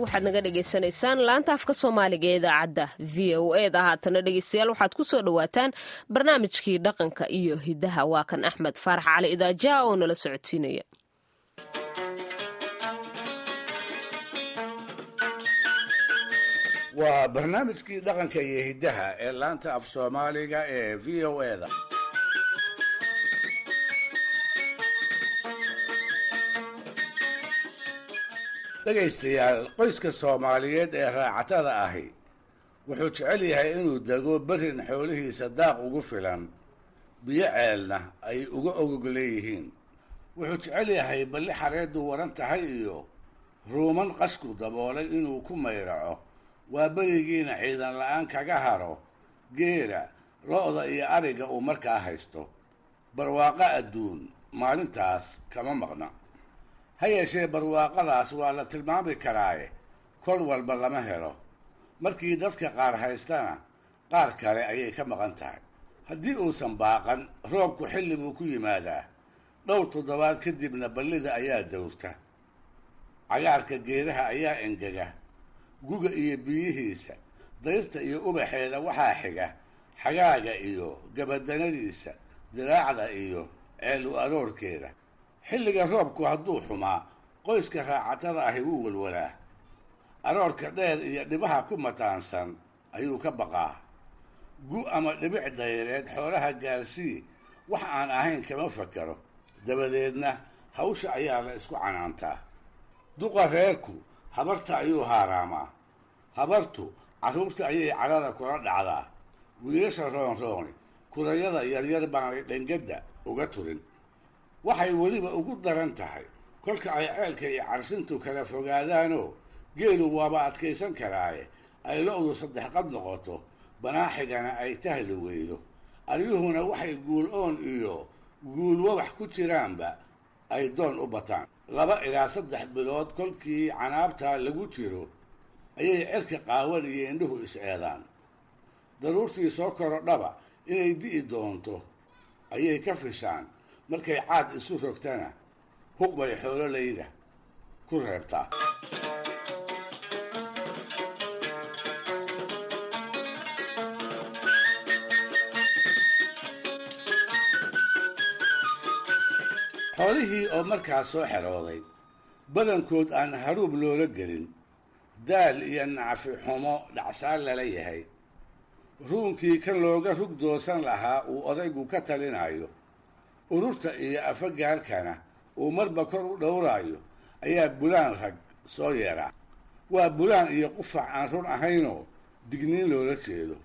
Waxaad naga dhegaysanaysaan laanta afka Soomaaliga ee idaacadda VOA da. Haatana, dhegeystayaal, waxaad ku soo dhowaataan barnaamijkii dhaqanka iyo hiddaha. Waa kan Axmed Faarax Cali Idaajaha oo nala socodsiinaya. Waa barnaamijkii dhaqanka iyo hiddaha ee laanta af Soomaaliga ee VOA da. Dhegaystayaal, qoyska Soomaaliyeed ee raacatada ahi wuxuu jecel yahay inuu dego berrin xoolihiisa daaq ugu filan, biyo ceelna ay uga ogog leeyihiin. Wuxuu jecel yahay balli xareeddu waran tahay iyo ruuman qashku daboolay inuu ku mayraco, waa berigiina ciidan la-aan kaga haro geela, lo-da iyo ariga uu markaa haysto. Barwaaqo adduun maalintaas kama maqna. Ha yeeshee, barwaaqadaas waa la tilmaami karaaye, kol walba lama helo. Markii dadka qaar haystana, qaar kale ayay ka maqan tahay. Haddii uusan baaqan roobku, xilli buu ku yimaadaa. Dhowr toddobaad kadibna ballida ayaa dowrta, cagaarka geedaha ayaa engega. Guga iyo biyihiisa, dayrta iyo ubaxeeda waxaa xiga xagaaga iyo gabadanadiisa, diraacda iyo ceel u aroorkeeda. Xilliga roobku hadduu xumaa, qoyska raacatada ahi wuu walwalaa. Aroorka dheer iyo dhibaha ku mataansan ayuu ka baqaa. Gu ama dhibic dayreed xoolaha gaarsii wax aan ahayn kama fakero. Dabadeedna hawsha ayaa la isku canaantaa. Duqa reerku habarta ayuu haaraamaa, habartu carruurta ayay carada kula dhacdaa. Wiilasha roonrooni kurayada yaryar baanay dhangadda uga turin. Waxay weliba ugu daran tahay kolka ay ceelka iyo carsintu kala fogaadaanoo geelu waaba adkaysan karaaye ay lo-du saddex qad noqoto, banaaxigana ay tahli weydo, aryuhuna waxay guul oon iyo guul wabax ku jiraanba ay doon u bataan. 2 ilaa 3 bilood kolkii canaabtaa lagu jiro ayay cerka qaawan iyo indhuhu is-eedaan. Daruurtii soo korodhaba inay di'i doonto ayay ka fishaan. Markay caad isu rogtana, huq bay xoololayda ku reebtaa. Xoolihii oo markaas soo xerooday, badankood aan haruub loola gelin, daal iyo nacfi xumo dhacsaan lala yahay, ruunkii kan looga rug doorsan lahaa uu odaygu ka talinayo, ururta iyo afagaarkana uu marba kor u dhowraayo, ayaa bulaan rag soo yeeraa. Waa bulaan iyo qufac aan run ahaynoo digniin loola jeedo.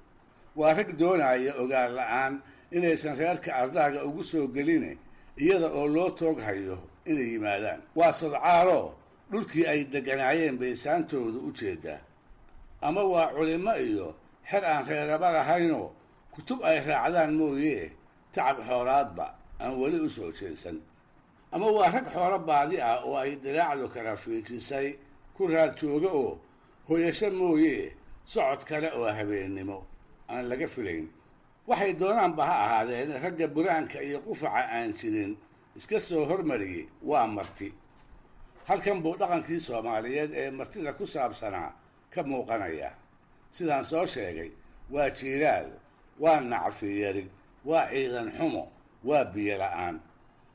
Waa rag doonaya ogaan la-aan inaysan reerka ardaaga ugu soo geline, iyada oo loo toog hayo inay yimaadaan. Waa sodcaaloo dhulkii ay degganaayeen bay saantoodu u jeedaa, ama waa culimo iyo xer aan reeraba lahaynoo kutub ay raacdaan mooyee tacab xoolaadba aan weli u soo jeedsan, ama waa rag xoolo baadi ah oo ay diraacdu kala fiijisay ku raad jooga oo hoyasho mooyee socod kale oo habeennimo aan laga filayn. Waxay doonaanba ha ahaadeen, ragga buraanka iyo qufaca aan jirin iska soo hormariyey waa marti. Halkan buu dhaqankii Soomaaliyeed ee martida ku saabsanaa ka muuqanaya. Sidaan soo sheegay, waa jiiraal, waa nacfiyari, waa ciidan xumo, waa biyo la-aan.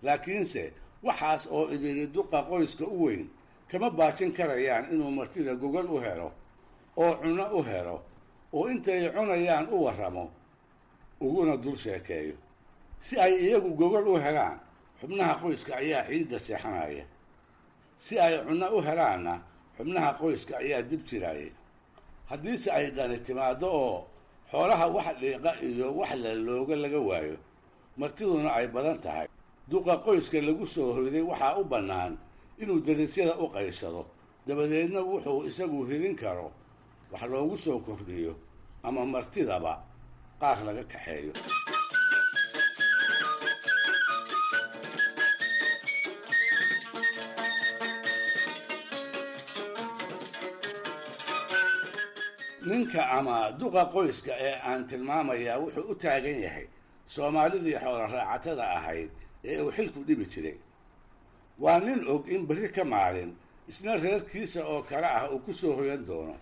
Laakiinse waxaas oo idili duqa qoyska u weyn kama baajin karayaan inuu martida gogol u helo oo cunno u helo oo intay cunayaan u warramo, uguna dul sheekeeyo. Si ay iyagu gogol u helaan, xubnaha qoyska ayaa ciidda seexanaya. Si ay cunno u helaanna, xubnaha qoyska ayaa dib jiraya. Haddiise ay dani timaaddo oo xoolaha wax dhiiqa iyo wax lalooga laga waayo, martiduna ay badan tahay, duqa qoyska lagu soo hoyday waxaa u bannaan inuu darisyada u qayshado. Dabadeedna wuxuu isagu hidin karo wax loogu soo kordhiyo ama martidaba qaar laga kaxeeyo. Ninka ama duqa qoyska ee aan tilmaamayaa wuxuu u taagan yahay Soomaalidii xoola raacatada ahayd ee uu xilku dhibi jiray. Waa nin og in berri ka maalin isna reerkiisa oo kale ah uu ku soo hoyan doono.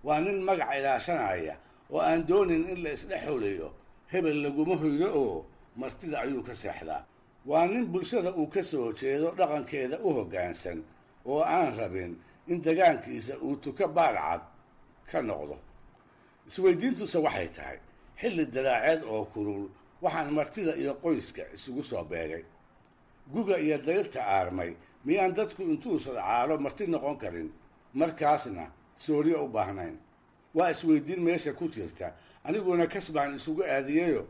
Waa nin magac ilaashanaya oo aan doonin in la isdhex xuliyo, hebel laguma hoydo oo martida ayuu ka seexdaa. Waa nin bulshada uu ka soo jeedo dhaqankeeda u hoggaansan oo aan rabin in degaankiisa uu tuko baalcad ka noqdo. Isweydiintuse waxay tahay xilli dalaaceed oo kulul waxaan martida iyo qoyska isugu soo beegay. Guga iyo dayrta aarmay miyaan dadku intuu sadcaalo marti noqon karin, markaasna sooryo u baahnayn? Waa isweydiin meesha ku jirta, aniguna kas baan isugu aadiyayo.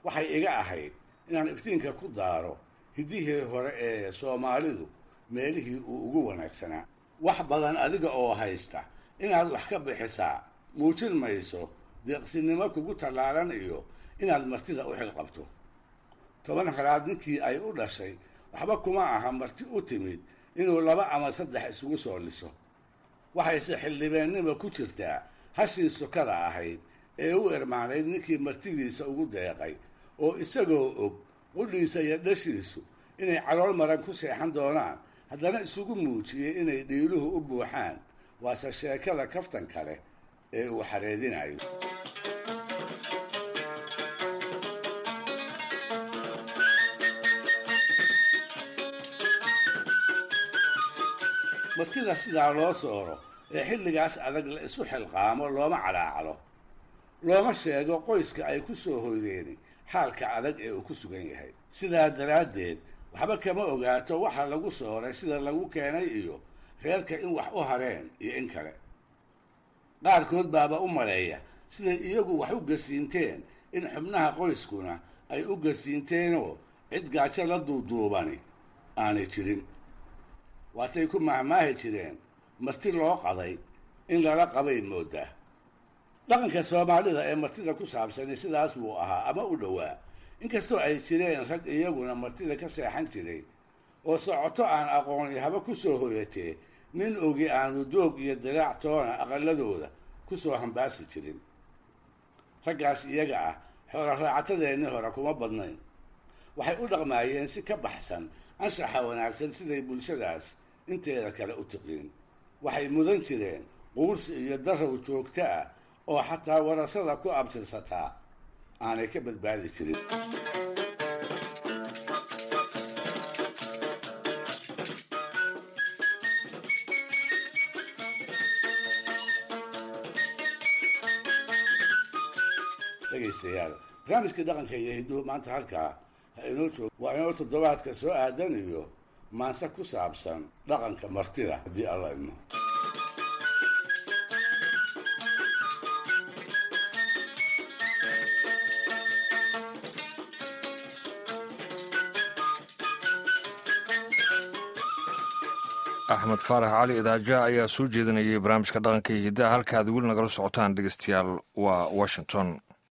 Waxay iga ahayd inaan iftiinka ku daaro hiddihii hore ee Soomaalidu meelihii uu ugu wanaagsanaa. Wax badan adiga oo haysta inaad wax ka bixisaa muujin mayso deeqsinimo kugu tallaalan iyo inaad martida u xilqabto. 10 halaad ninkii ay u dhashay waxba kuma aha marti u timid inuu 2 ama 3 isugu soo liso. Waxayse xildhibeennima ku jirtaa hashii sokada ahayd ee u irmaanayd ninkii martidiisa ugu deeqay, oo isagoo og qudhiisa iyo dhashiisu inay calool maran ku seexan doonaan, haddana isugu muujiyey inay dhiiluhu u buuxaan. Waase sheekada kaftan kale ee uu xareedinayo. Martida sidaa loo sooro ee xilligaas adag la isu xilqaamo looma calaacalo, looma sheego qoyska ay ku soo hoydeeni xaalka adag ee uu ku sugan yahay. Sidaa daraaddeed waxba kama ogaato waxa lagu sooray, sida lagu keenay, iyo reerka in wax u hareen iyo in kale. Qaarkood baaba u maleeya siday iyagu wax u gasiinteen in xubnaha qoyskuna ay u gasiinteenoo cid gaajo la duuduubani aanay jirin. Waatay ku mahmaahi jireen marti loo qaday in lala qabay moodaa. Dhaqanka Soomaalida ee martida ku saabsani sidaas buu ahaa ama u dhowaa, inkastoo ay jireen rag iyaguna martida ka seexan jiray oo socoto aan aqooni haba ku soo hoyatee nin ogi aanu doog iyo dilaac toona aqaladooda ku soo hambaasi jirin. Raggaas iyaga ah xoola raacatadeennii hore kuma badnayn. Waxay u dhaqmaayeen si ka baxsan anshaxa wanaagsan siday bulshadaas inteeda kale u tiqiin. Waxay mudan jireen quursi iyo darow joogto ah oo xataa warasada ku abtirsataa aanay ka badbaadi jirin. Dhegaystayaal, barnaamijkii dhaqanka iyo hidduhu maanta halkaa ha inoo joogo. Waa inoo toddobaadka soo aadan iyo maanse ku saabsan dhaqanka martida, haddii Alla idmo. Axmed Faarax Cali Idaaja ayaa soo jeedinayay barnaamijka dhaqanka iyo hiddaha. Halka aad weli nagala socotaan, dhegeystayaal, waa Washington.